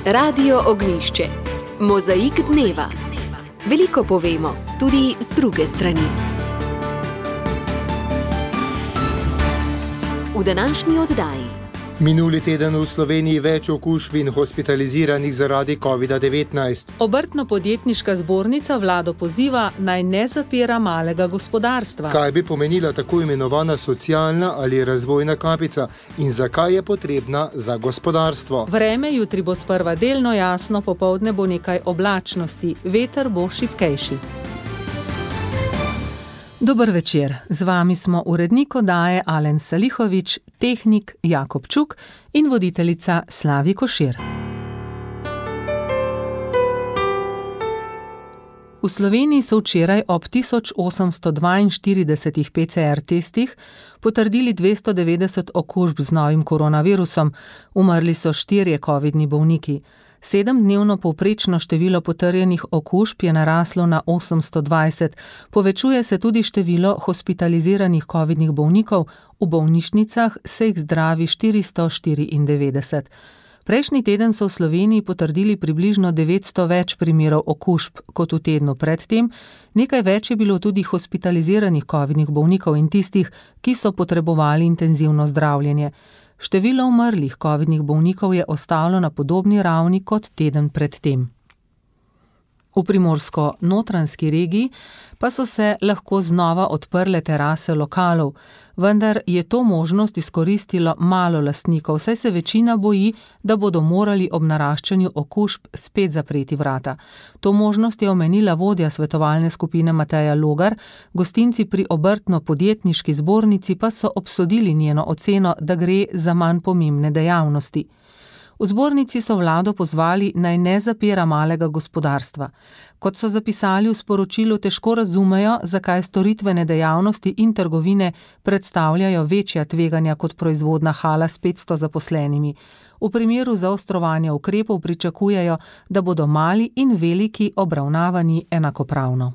Radio Ognjišče. Mozaik dneva. Veliko povemo, tudi z druge strani. V današnji oddaji. Minuli teden v Sloveniji več okužb in hospitaliziranih zaradi COVID-19. Obrtno-podjetniška zbornica vlado poziva, naj ne zapira malega gospodarstva. Kaj bi pomenila tako imenovana socialna ali razvojna kapica in zakaj je potrebna za gospodarstvo? Vreme jutri bo sprva delno jasno, popoldne bo nekaj oblačnosti, veter bo šibkejši. Dober večer, z vami smo urednik oddaje Alen Salihovič, tehnik Jakob Čuk in voditeljica Slavi Košir. V Sloveniji so včeraj ob 1842 PCR testih potrdili 290 okužb z novim koronavirusom, umrli so 4 covidni bolniki. 7-dnevno povprečno število potrjenih okužb je naraslo na 820, povečuje se tudi število hospitaliziranih covidnih bolnikov, v bolnišnicah se jih zdravi 494. Prejšnji teden so v Sloveniji potrdili približno 900 več primerov okužb kot v tednu predtem, nekaj več je bilo tudi hospitaliziranih covidnih bolnikov in tistih, ki so potrebovali intenzivno zdravljenje. Število umrlih covidnih bolnikov je ostalo na podobni ravni kot teden pred tem. V primorsko-notranjski regiji pa so se lahko znova odprle terase lokalov, vendar je to možnost izkoristilo malo lastnikov, saj se večina boji, da bodo morali ob naraščanju okužb spet zapreti vrata. To možnost je omenila vodja svetovalne skupine Mateja Logar, gostinci pri obrtno-podjetniški zbornici pa so obsodili njeno oceno, da gre za manj pomembne dejavnosti. V zbornici so vlado pozvali, naj ne zapira malega gospodarstva. Kot so zapisali v sporočilu, težko razumejo, zakaj storitvene dejavnosti in trgovine predstavljajo večja tveganja kot proizvodna hala s 500 zaposlenimi. V primeru zaostrovanja ukrepov pričakujejo, da bodo mali in veliki obravnavani enakopravno.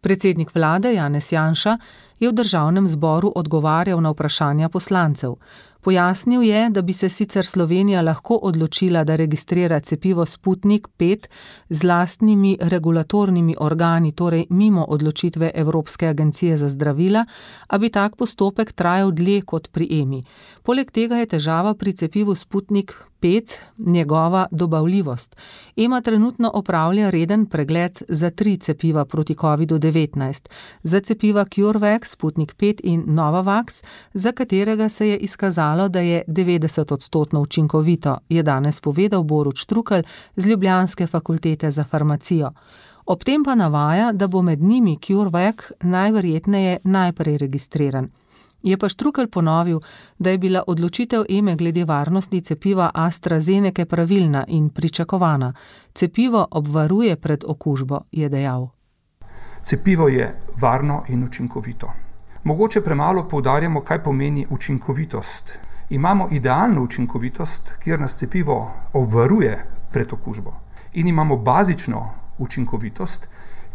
Predsednik vlade Janez Janša je v državnem zboru odgovarjal na vprašanja poslancev. Pojasnil je, da bi se sicer Slovenija lahko odločila, da registrira cepivo Sputnik 5 z lastnimi regulatornimi organi, torej mimo odločitve Evropske agencije za zdravila, a bi tak postopek trajal dlje kot pri EMI. Poleg tega je težava pri cepivu Sputnik 5 njegova dobavljivost. EMA trenutno opravlja reden pregled za 3 cepiva proti COVID-19. Za cepiva CureVac, Sputnik 5 in Novavax, za katerega se je izkazalo, da je 90% učinkovito, je danes povedal Borut Štrukelj z ljubljanske fakultete za farmacijo. Ob tem pa navaja, da bo med njimi CureVac najverjetneje najprej registriran. Je pa Štrukelj ponovil, da je bila odločitev EME glede varnosti cepiva AstraZeneca pravilna in pričakovana. Cepivo obvaruje pred okužbo, je dejal. Cepivo je varno in učinkovito. Mogoče premalo poudarjamo, kaj pomeni učinkovitost. Imamo idealno učinkovitost, kjer nas cepivo obvaruje pred okužbo. In imamo bazično učinkovitost,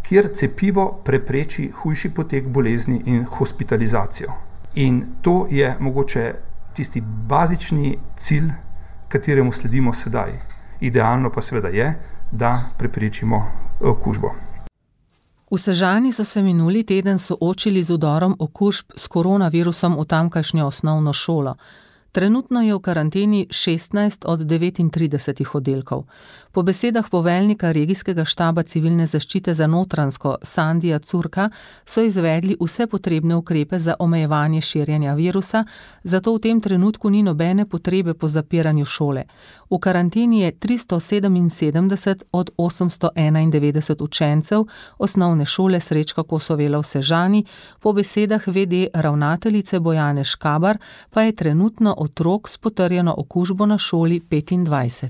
kjer cepivo prepreči hujši potek bolezni in hospitalizacijo. In to je mogoče tisti bazični cilj, kateremu sledimo sedaj. Idealno pa seveda je, da preprečimo okužbo. V Sežani so se minuli teden soočili z vdorom okužb s koronavirusom v tamkajšnjo osnovno šolo. Trenutno je v karanteni 16 od 39 oddelkov. Po besedah poveljnika regijskega štaba civilne zaščite za Notranjsko Sandija Curka so izvedli vse potrebne ukrepe za omejevanje širjenja virusa, zato v tem trenutku ni nobene potrebe po zapiranju šole. V karanteni je 377 od 891 učencev osnovne šole Srečka Kosovela v Sežani, po besedah VD ravnateljice Bojane Škabar pa je trenutno otrok s potrjeno okužbo na šoli 25.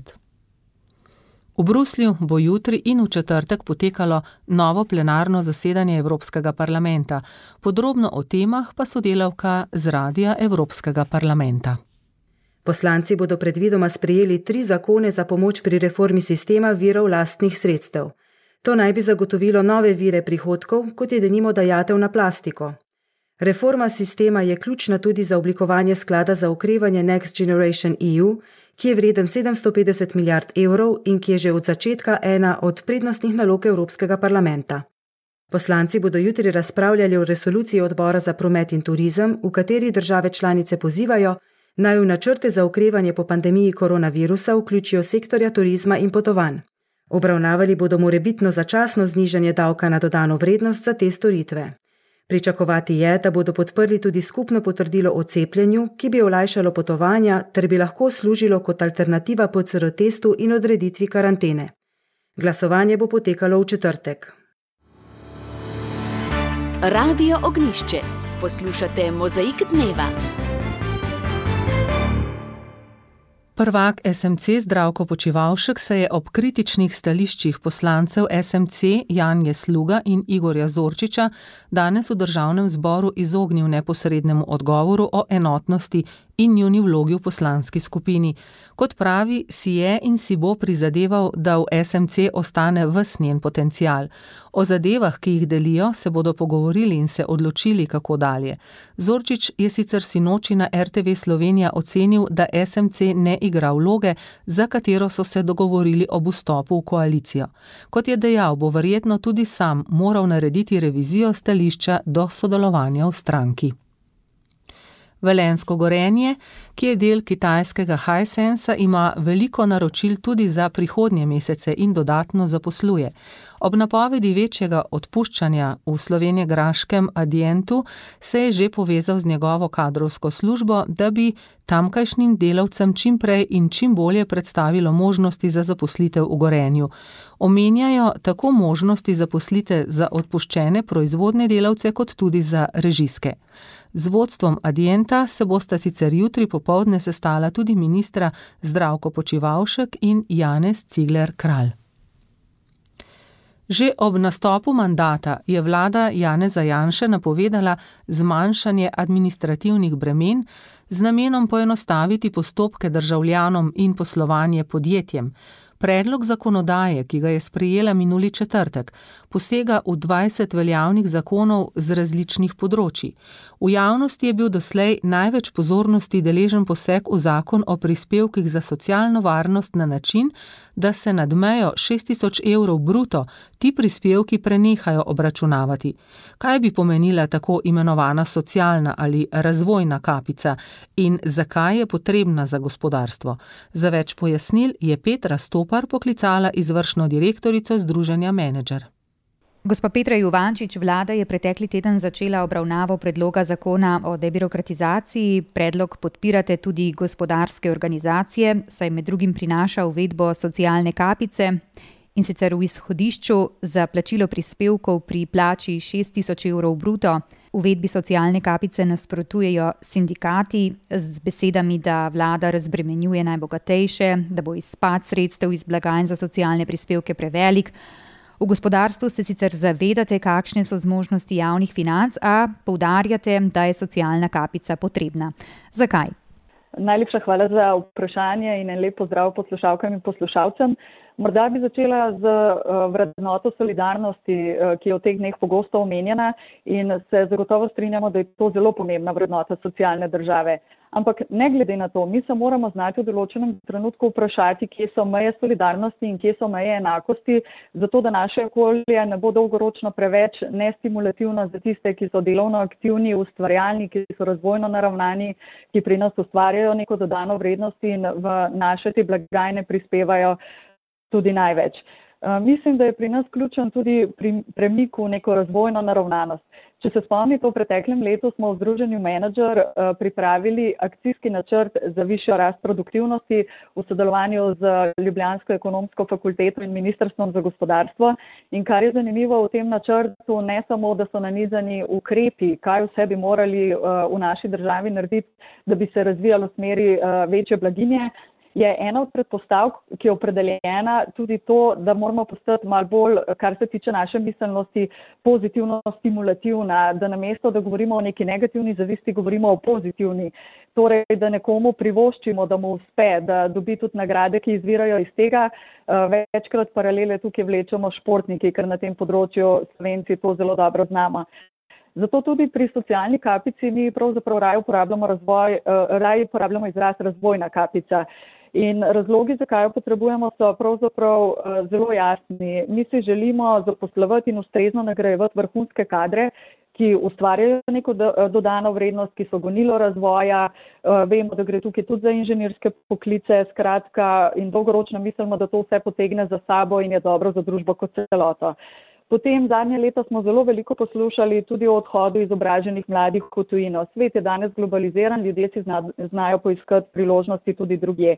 V Bruslju bo jutri in v četrtek potekalo novo plenarno zasedanje Evropskega parlamenta. Podrobno o temah pa sodelavka z Radia Evropskega parlamenta. Poslanci bodo predvidoma sprejeli 3 zakone za pomoč pri reformi sistema virov lastnih sredstev. To naj bi zagotovilo nove vire prihodkov, kot je denimo dajatev na plastiko. Reforma sistema je ključna tudi za oblikovanje sklada za okrevanje Next Generation EU, ki je vreden 750 milijard evrov in ki je že od začetka ena od prednostnih nalog Evropskega parlamenta. Poslanci bodo jutri razpravljali o resoluciji Odbora za promet in turizem, v kateri države članice pozivajo, naj v načrte za okrevanje po pandemiji koronavirusa vključijo sektorja turizma in potovanj. Obravnavali bodo morebitno začasno znižanje davka na dodano vrednost za te storitve. Pričakovati je, da bodo podprli tudi skupno potrdilo o cepljenju, ki bi olajšalo potovanja ter bi lahko služilo kot alternativa PCR testu in odreditvi karantene. Glasovanje bo potekalo v četrtek. Radio Ognjišče. Poslušate Mozaik dneva. Prvak SMC Zdravko Počivalšek se je ob kritičnih stališčih poslancev SMC Janje Sluga in Igorja Zorčiča danes v Državnem zboru izognil neposrednemu odgovoru o enotnosti in njuni vlogi v poslanski skupini. Kot pravi, si je in si bo prizadeval, da v SMC ostane ves njen potencial. O zadevah, ki jih delijo, se bodo pogovorili in se odločili, kako dalje. Zorčič je sicer sinoči na RTV Slovenija ocenil, da SMC ne igra vloge, za katero so se dogovorili ob vstopu v koalicijo. Kot je dejal, bo verjetno tudi sam moral narediti revizijo stališča do sodelovanja v stranki. Velenjsko Gorenje, ki je del kitajskega Hisensa, ima veliko naročil tudi za prihodnje mesece in dodatno zaposluje. Ob napovedi večjega odpuščanja v slovenjegraškem Adientu se je že povezal z njegovo kadrovsko službo, da bi tamkajšnjim delavcem čim prej in čim bolje predstavilo možnosti za zaposlitev v Gorenju. Omenjajo tako možnosti zaposlite za odpuščene proizvodne delavce kot tudi za režijske. Z vodstvom Adienta se bosta sicer jutri popoldne sestala tudi ministra Zdravko Počivalšek in Janez Cigler Kralj. Že ob nastopu mandata je vlada Janeza Janše napovedala zmanjšanje administrativnih bremen z namenom poenostaviti postopke državljanom in poslovanje podjetjem. Predlog zakonodaje, ki ga je sprejela minuli četrtek, posega v 20 veljavnih zakonov z različnih področij. V javnosti je bil doslej največ pozornosti deležen poseg v zakon o prispevkih za socialno varnost na način, da se nad mejo 6.000 evrov bruto ti prispevki prenehajo obračunavati. Kaj bi pomenila tako imenovana socialna ali razvojna kapica in zakaj je potrebna za gospodarstvo? Za več pojasnil je Petra Stopar poklicala izvršno direktorico Združenja Menedžer. Gospa Petra Juvančič, vlada je pretekli teden začela obravnavo predloga zakona o debirokratizaciji. Predlog podpirate tudi gospodarske organizacije, saj med drugim prinaša uvedbo socialne kapice in sicer v izhodišču za plačilo prispevkov pri plači 6.000 evrov bruto. Uvedbi socialne kapice nasprotujejo sindikati z besedami, da vlada razbremenjuje najbogatejše, da bo izpad sredstev iz blagajn za socialne prispevke prevelik. V gospodarstvu se sicer zavedate, kakšne so zmožnosti javnih financ, a poudarjate, da je socialna kapica potrebna. Zakaj? Najlepša hvala za vprašanje in en lep pozdrav poslušalkam in poslušalcem. Morda bi začela z vrednoto solidarnosti, ki je v teh dneh pogosto omenjena in se zagotovo strinjamo, da je to zelo pomembna vrednota socialne države. Ampak ne glede na to, mi se moramo znati v določenem trenutku vprašati, kje so meje solidarnosti in kje so meje enakosti, zato da naše okolje ne bo dolgoročno preveč nestimulativno za tiste, ki so delovno aktivni, ustvarjalni, ki so razvojno naravnani, ki pri nas ustvarjajo neko dodano vrednost in v naše te blagajne prispevajo tudi največ. Mislim, da je pri nas ključen tudi premik v neko razvojno naravnanost. Če se spomnite, v preteklem letu smo v Združenju Menedžer pripravili akcijski načrt za višjo rast produktivnosti v sodelovanju z Ljubljansko ekonomsko fakulteto in Ministrstvom za gospodarstvo. In kar je zanimivo v tem načrtu, ne samo, da so nanizani ukrepi, kaj vse bi morali v naši državi narediti, da bi se razvijalo v smeri večje blaginje, je ena od predpostavk, ki je opredeljena tudi to, da moramo postati malo bolj, kar se tiče naše miselnosti, pozitivno stimulativna, da namesto, da govorimo o neki negativni zavisti, govorimo o pozitivni. Torej, da nekomu privoščimo, da mu uspe, da dobi tudi nagrade, ki izvirajo iz tega. Večkrat paralele tukaj vlečemo športniki, ker na tem področju Slovenci to zelo dobro znamo. Zato tudi pri socialni kapici mi pravzaprav raje uporabljamo izraz razvojna kapica. In razlogi, zakaj jo potrebujemo, so pravzaprav zelo jasni. Mi si želimo zaposlovati in ustrezno nagrajevati vrhunske kadre, ki ustvarjajo neko dodano vrednost, ki so gonilo razvoja. Vemo, da gre tukaj tudi za inženirske poklice, skratka, in dolgoročno mislimo, da to vse potegne za sabo in je dobro za družbo kot celoto. Potem zadnje leta smo zelo veliko poslušali tudi o odhodu izobraženih mladih v tujino. Svet je danes globaliziran, ljudje si znajo poiskati priložnosti tudi drugje.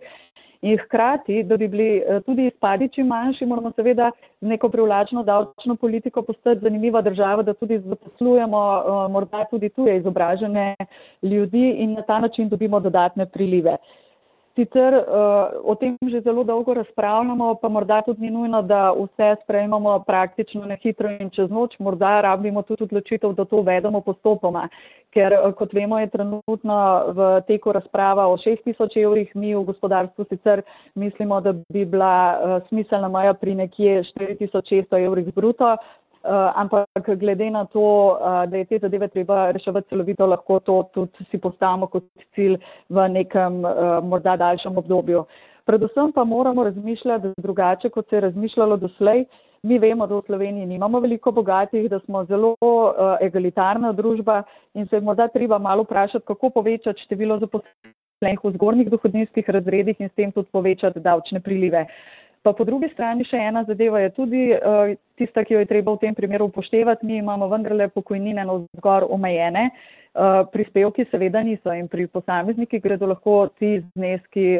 In hkrati, da bi bili tudi izpadi čim manjši, moramo seveda z neko privlačno davčno politiko postati zanimiva država, da tudi zaposlujemo morda tudi tuje izobražene ljudi in na ta način dobimo dodatne prilive. Sicer o tem že zelo dolgo razpravljamo, pa morda tudi ni nujno, da vse sprejmemo praktično na hitro in čez noč. Morda rabimo tudi odločitev, da to uvedemo postopoma, ker kot vemo je trenutno v teku razprava o 6.000 evrih. Mi v gospodarstvu sicer mislimo, da bi bila smiselna meja pri nekje 4.600 evrih bruto. Ampak glede na to, da je te zadeve treba reševati celovito, lahko to tudi si postavimo kot cilj v nekem morda daljšem obdobju. Predvsem pa moramo razmišljati drugače, kot se je razmišljalo doslej. Mi vemo, da v Sloveniji nimamo veliko bogatih, da smo zelo egalitarna družba in se je morda treba malo vprašati, kako povečati število zaposlenih v zgornjih dohodninskih razredih in s tem tudi povečati davčne prilive. Pa po drugi strani še ena zadeva je tudi tista, ki jo je treba v tem primeru upoštevati. Mi imamo vendarle pokojnine navzgor omejene, prispevki seveda niso in pri posameznikih gredo lahko ti zneski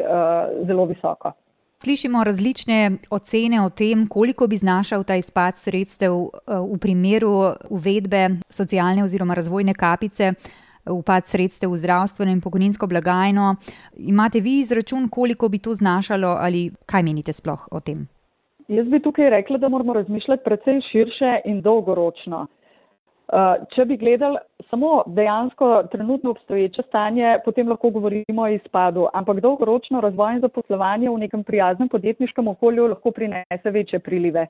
zelo visoko. Slišimo različne ocene o tem, koliko bi znašal ta izpad sredstev v primeru uvedbe socialne oziroma razvojne kapice, upad sredstev v zdravstveno in pokojninsko blagajno. Imate vi izračun, koliko bi to znašalo ali kaj menite sploh o tem? Jaz bi tukaj rekla, da moramo razmišljati precej širše in dolgoročno. Če bi gledali samo dejansko trenutno obstoječe stanje, potem lahko govorimo o izpadu, ampak dolgoročno razvoj in zaposlovanje v nekem prijaznem podjetniškem okolju lahko prinese večje prilive.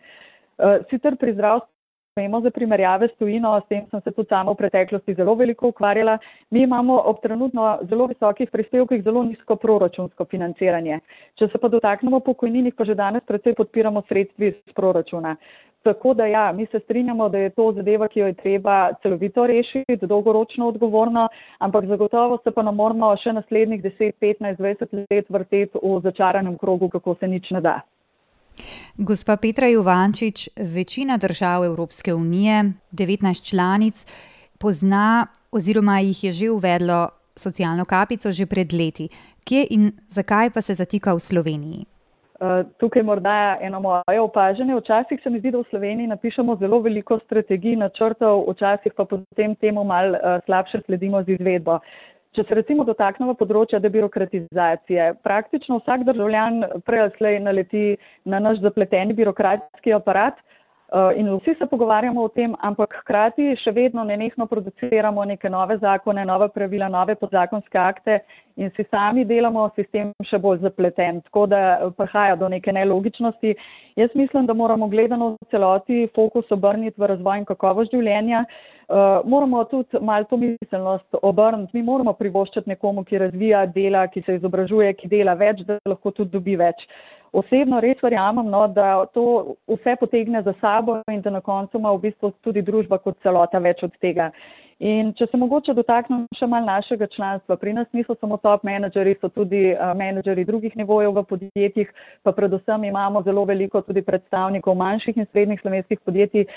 Sicer pri zdravstvu vemo za primerjave s tujino, s tem sem se tudi sama v preteklosti zelo veliko ukvarjala. Mi imamo ob trenutno zelo visokih prispevkih zelo nizko proračunsko financiranje. Če se pa dotaknemo pokojninih, pa že danes precej podpiramo sredstvi iz proračuna. Tako da ja, mi se strinjamo, da je to zadeva, ki jo je treba celovito rešiti, dolgoročno odgovorno, ampak zagotovo se pa ne moramo še naslednjih 10, 15, 20 let vrteti v začaranem krogu, kako se nič ne da. Gospa Petra Juvančič, večina držav Evropske unije, 19 članic, pozna oziroma jih je že uvedlo socialno kapico že pred leti. Kje in zakaj pa se zatika v Sloveniji? Tukaj morda eno moje opažanje. Včasih se mi zdi, da v Sloveniji napišemo zelo veliko strategij, načrtov, včasih pa potem temu malo slabše sledimo z izvedbo. Če se recimo dotaknemo področja debirokratizacije, praktično vsak državljan prej ali slej naleti na naš zapleteni birokratski aparat in vsi se pogovarjamo o tem, ampak hkrati še vedno nenehno produciramo neke nove zakone, nove pravila, nove podzakonske akte in si sami delamo sistem še bolj zapleten, tako da prihaja do neke nelogičnosti. Jaz mislim, da moramo gledano v celoti fokus obrniti v razvoj in kakovost življenja. Moramo tudi malo to miselnost obrniti. Mi moramo privoščiti nekomu, ki razvija, dela, ki se izobražuje, ki dela več, da lahko tudi dobi več. Osebno res verjamem, da to vse potegne za sabo in da na koncu ima v bistvu tudi družba kot celota več od tega. In če se mogoče dotaknem še malo našega članstva, pri nas niso samo top menedžeri, so tudi menedžeri drugih nivojev v podjetjih, pa predvsem imamo zelo veliko tudi predstavnikov manjših in srednjih slovenskih podjetij.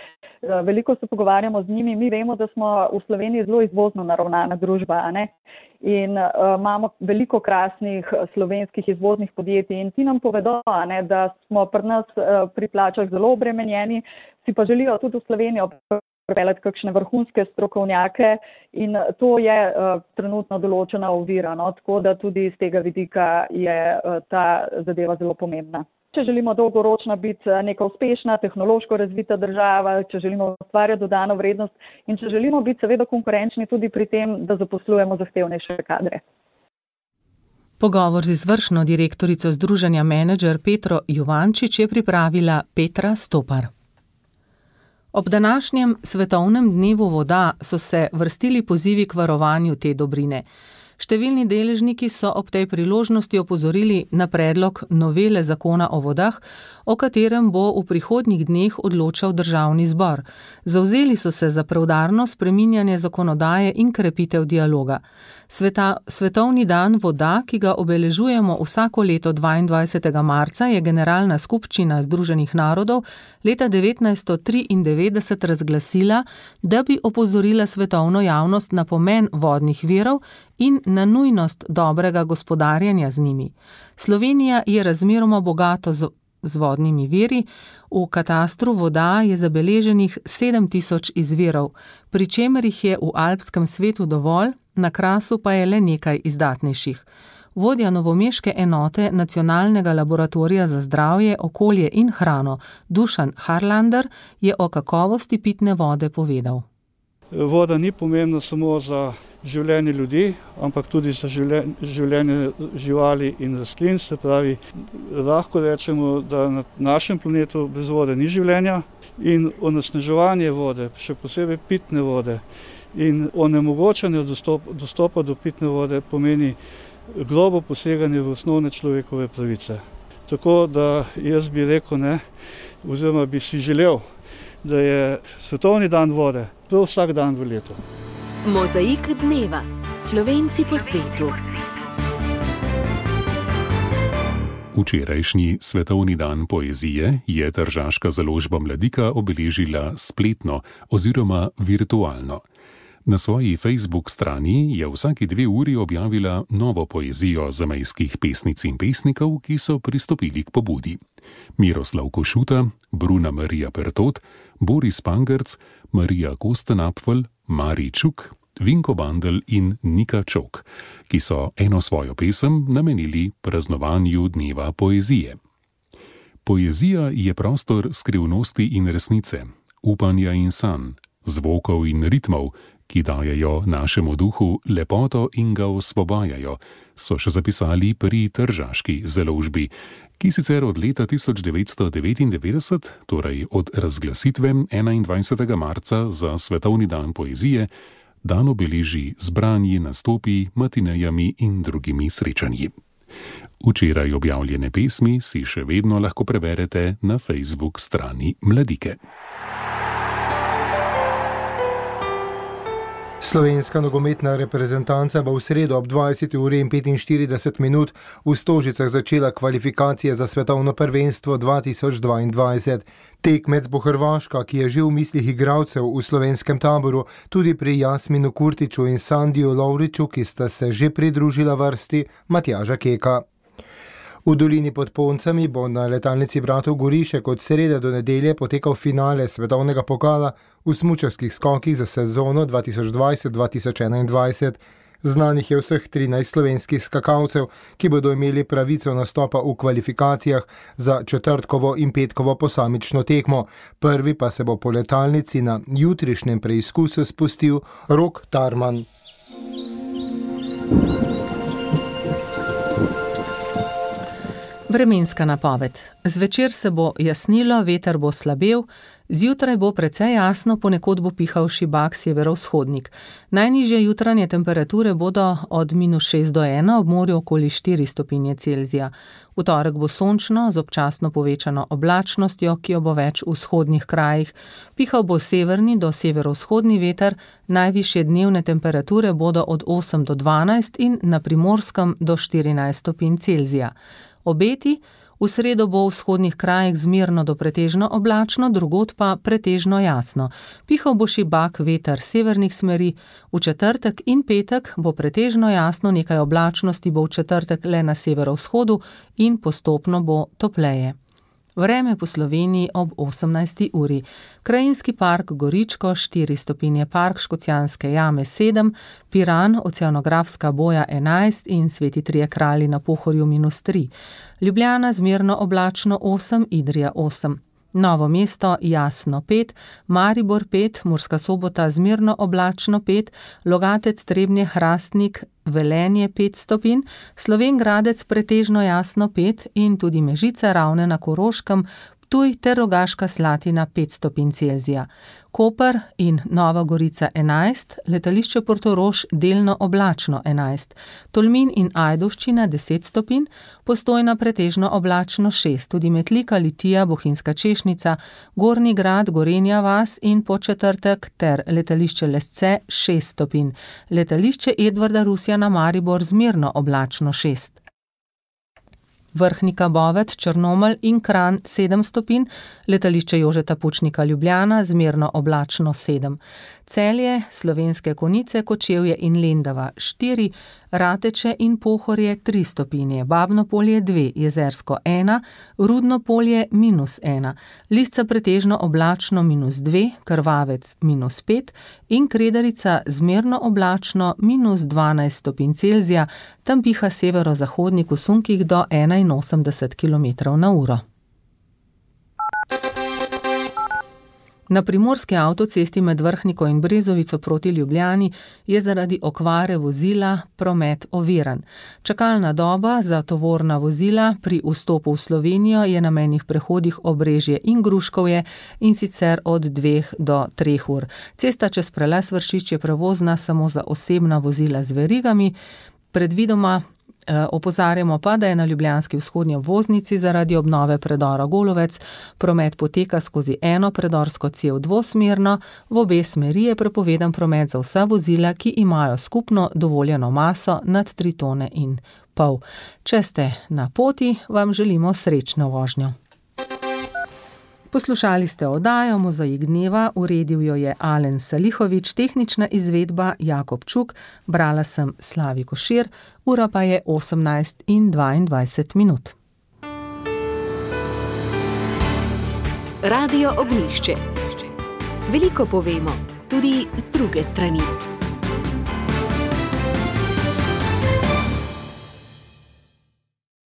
Veliko se pogovarjamo z njimi, mi vemo, da smo v Sloveniji zelo izvozno naravnana družba, a ne? In imamo veliko krasnih slovenskih izvoznih podjetij in ti nam povedo, ne, da smo pri nas pri plačah zelo obremenjeni, si pa želijo tudi v Slovenijo pripeljati kakšne vrhunske strokovnjake in to je trenutno določena ovira, no? Tako da tudi iz tega vidika je ta zadeva zelo pomembna. Če želimo dolgoročno biti neka uspešna, tehnološko razvita država, če želimo ustvarjati dodano vrednost in če želimo biti seveda konkurenčni tudi pri tem, da zaposlujemo zahtevnejše kadre. Pogovor z izvršno direktorico Združenja Menedžer Petro Juvančič je pripravila Petra Stopar. Ob današnjem svetovnem dnevu voda so se vrstili pozivi k varovanju te dobrine. Številni deležniki so ob tej priložnosti opozorili na predlog novele zakona o vodah, o katerem bo v prihodnjih dneh odločal Državni zbor. Zavzeli so se za preudarno spreminjanje zakonodaje in krepitev dialoga. Svetovni dan voda, ki ga obeležujemo vsako leto 22. marca, je Generalna skupščina Združenih narodov leta 1993 razglasila, da bi opozorila svetovno javnost na pomen vodnih virov in na nujnost dobrega gospodarjenja z njimi. Slovenija je razmeroma bogato z vodnimi viri, v katastru voda je zabeleženih 7000 izvirov, pri čemer jih je v alpskem svetu dovolj, na Krasu pa je le nekaj izdatnejših. Vodja novomeške enote Nacionalnega laboratorija za zdravje, okolje in hrano Dušan Harlander je o kakovosti pitne vode povedal. Voda ni pomembna samo za življenje ljudi, ampak tudi za življenje živali in rastlin. Se pravi, lahko rečemo, da na našem planetu brez vode ni življenja in onesnaževanje vode, še posebej pitne vode in onemogočanje dostopa do pitne vode pomeni globo poseganje v osnovne človekove pravice. Tako da jaz bi rekel, oziroma bi si želel, da je svetovni dan vode prav vsak dan v letu. Mozaik dneva. Slovenci po svetu. Včerajšnji svetovni dan poezije je tržaška založba Mladika obeležila spletno oziroma virtualno. Na svoji Facebook strani je vsaki 2 uri objavila novo poezijo zamejskih pesnic in pesnikov, ki so pristopili k pobudi. Miroslav Košuta, Bruna Marija Pertot, Boris Pangerc, Marija Kostenapfel, Mari Čuk, Vinko Bandel in Nika Čok, ki so eno svojo pesem namenili praznovanju dneva poezije. Poezija je prostor skrivnosti in resnice, upanja in sanj, zvokov in ritmov, ki dajejo našemu duhu lepoto in ga osvobajajo, so še zapisali pri tržaški založbi, ki sicer od leta 1999, torej od razglasitve 21. marca za svetovni dan poezije, dan obeleži z branji, nastopi, matinejami in drugimi srečanji. Včeraj objavljene pesmi si še vedno lahko preberete na Facebook strani Mladike. Slovenska nogometna reprezentanca bo v sredo ob 20:45 v Stožicah začela kvalifikacije za svetovno prvenstvo 2022. Tekmec bo Hrvaška, ki je že v mislih igralcev v slovenskem taboru, tudi pri Jasminu Kurtiću in Sandiju Lovriću, ki sta se že pridružila vrsti Matjaža Keka. V dolini pod Poncami bo na letalnici bratov Gorišek od srede do nedelje potekal finale svetovnega pokala v smučarskih skokih za sezono 2020-2021. Znanih je vseh 13 slovenskih skakalcev, ki bodo imeli pravico nastopa v kvalifikacijah za četrtkovo in petkovo posamično tekmo. Prvi pa se bo po letalnici na jutrišnjem preizkusu spustil Rok Tarman. Vremenska napoved. Zvečer se bo jasnilo, veter bo slabel, zjutraj bo precej jasno, ponekod bo pihal šibak severovzhodnik. Najnižje jutranje temperature bodo od -6 do 1, ob morju okoli 4 stopinje Celzija. V torek bo sončno z občasno povečano oblačnostjo, ki jo bo več v vzhodnih krajih. Pihal bo severni do severovzhodni veter, najvišje dnevne temperature bodo od 8 do 12 in na Primorskem do 14 stopinj Celzija. Obeti: v sredo bo v vzhodnih krajih zmerno do pretežno oblačno, drugod pa pretežno jasno. Pihal bo šibak veter severnih smeri, v četrtek in petek bo pretežno jasno, nekaj oblačnosti bo v četrtek le na severovzhodu in postopno bo topleje. Vreme po Sloveniji ob 18. uri. Krajinski park Goričko 4 stopinje, park Škocjanske jame 7, Piran, oceanografska boja 11 in Sveti Trije kralji na Pohorju -3. Ljubljana zmerno oblačno 8, Idrija 8. Novo mesto jasno 5, Maribor 5, Murska Sobota zmerno oblačno 5, Logatec, Trebnje, Hrastnik, Velenje 5 stopinj, Slovenj Gradec pretežno jasno 5 in tudi Mežica, Ravne na Koroškem, Ptuj ter Rogaška Slatina 5 stopinj Celzija, Koper in Nova Gorica 11, letališče Portorož delno oblačno 11, Tolmin in Ajdovščina 10 stopinj, Postojna pretežno oblačno 6, tudi Metlika, Litija, Bohinjska Češnica, Gornji Grad, Gorenja vas in Podčetrtek ter letališče Lesce 6 stopinj, letališče Edvarda Rusjana Maribor zmerno oblačno 6. Vrhnika, Bovec, Črnomelj in Kranj 7 stopinj, letališče Jožeta Pučnika Ljubljana zmerno oblačno 7. Celje, Slovenske Konjice, Kočevje in Lendava 4, Rateče in Pohorje 3 stopinje, Babno Polje 2, Jezersko 1, Rudno Polje -1, Lisca pretežno oblačno -2, Krvavec -5 in Kredarica zmerno oblačno -12 stopinj Celzija, tam piha severozahodnik v sunkih do 81 km/h. Na primorski avtocesti med Vrhniko in Brezovico proti Ljubljani je zaradi okvare vozila promet oviran. Čakalna doba za tovorna vozila pri vstopu v Slovenijo je na mejnih prehodih Obrežje in Gruškovje in sicer od 2 do 3 ur. Cesta čez prelaz Vršič je prevozna samo za osebna vozila z verigami. Predvidoma opozarjamo pa, da je na ljubljanski vzhodnji obvoznici zaradi obnove predora Golovec promet poteka skozi eno predorsko cev dvosmerno, v obe smeri je prepovedan promet za vsa vozila, ki imajo skupno dovoljeno maso nad 3,5 tone. Če ste na poti, vam želimo srečno vožnjo. Poslušali ste oddajo Mozaik dneva, uredil jo je Alen Salihovič, tehnična izvedba Jakob Čuk, brala sem Slavi Košir, ura pa je 18:22. Radio Ognjišče. Veliko povemo, tudi z druge strani.